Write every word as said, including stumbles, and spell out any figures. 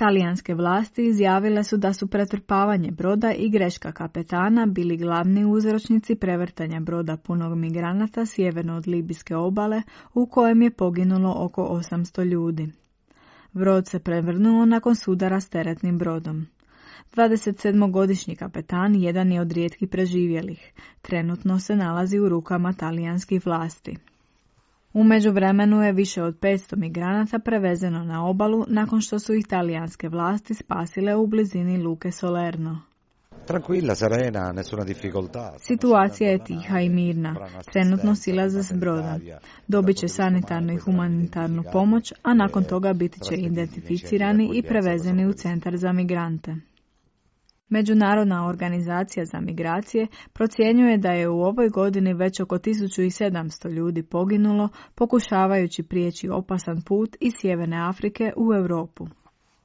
Talijanske vlasti izjavile su da su pretrpavanje broda i greška kapetana bili glavni uzročnici prevrtanja broda punog migranata sjeverno od libijske obale, u kojem je poginulo oko osamsto ljudi. Brod se prevrnuo nakon sudara s teretnim brodom. dvadesetsedmogodišnji kapetan jedan je od rijetkih preživjelih. Trenutno se nalazi u rukama talijanskih vlasti. U međuvremenu je više od petsto migranata prevezeno na obalu nakon što su ih talijanske vlasti spasile u blizini luke Salerno. Tranquilla, serena, nessuna difficoltà. Situacija je tiha i mirna. Trenutno silaze s broda. Dobit će sanitarnu i humanitarnu pomoć, a nakon toga biti će identificirani i prevezeni u centar za migrante. Međunarodna organizacija za migracije procjenjuje da je u ovoj godini već oko tisuću sedamsto ljudi poginulo pokušavajući prijeći opasan put iz Sjeverne Afrike u Europu.